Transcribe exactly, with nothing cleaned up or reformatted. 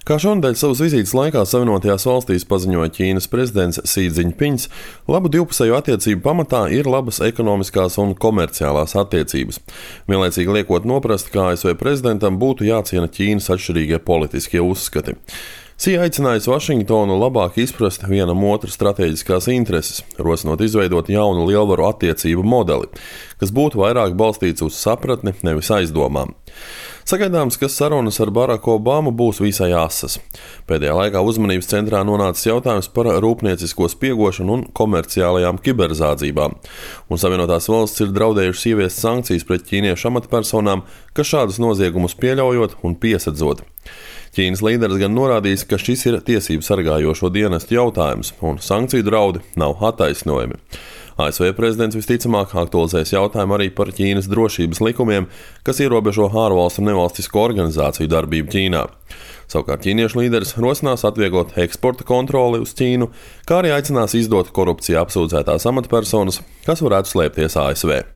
Kā šonadēļ savas vizītes laikā Savienotajās valstīs paziņoja Ķīnas prezidents Si Dzinpiņs, labu divpusēju attiecību pamatā ir labas ekonomiskās un komerciālās attiecības. Vienlaicīgi liekot noprast, ka A S V prezidentam būtu jāciena Ķīnas atšķirīgie politiskie uzskati. Si aicinājis Vašingtonu labāk izprast vienam otru stratēģiskās intereses, rosinot izveidot jaunu lielvaru attiecību modeli, kas būtu vairāk balstīts uz sapratni, nevis aizdomām. Sagaidāms, ka sarunas ar Baraku Obamu būs visai asas. Pēdējā laikā uzmanības centrā nonācis jautājums par rūpniecisko spiegošanu un komerciālajām kiberzādzībām, un Savienotās valsts ir draudējušas ieviest sankcijas pret ķīniešu amatpersonām, kas šādus noziegumus pieļaujot un piesadzot. Ķīnas līderis gan norādījis, ka šis ir tiesību sargājošo dienestu jautājums, un sankciju draudi nav attaisnojami. A S V prezidents visticamāk aktualizēs jautājumu arī par Ķīnas drošības likumiem, kas ierobežo ārvalstu un nevalstisko organizāciju darbību Ķīnā. Savukārt ķīniešu līderis rosinās atvieglot eksporta kontroli uz Ķīnu, kā arī aicinās izdot korupcijā apsūdzētās amatpersonas, kas varētu slēpties A S V.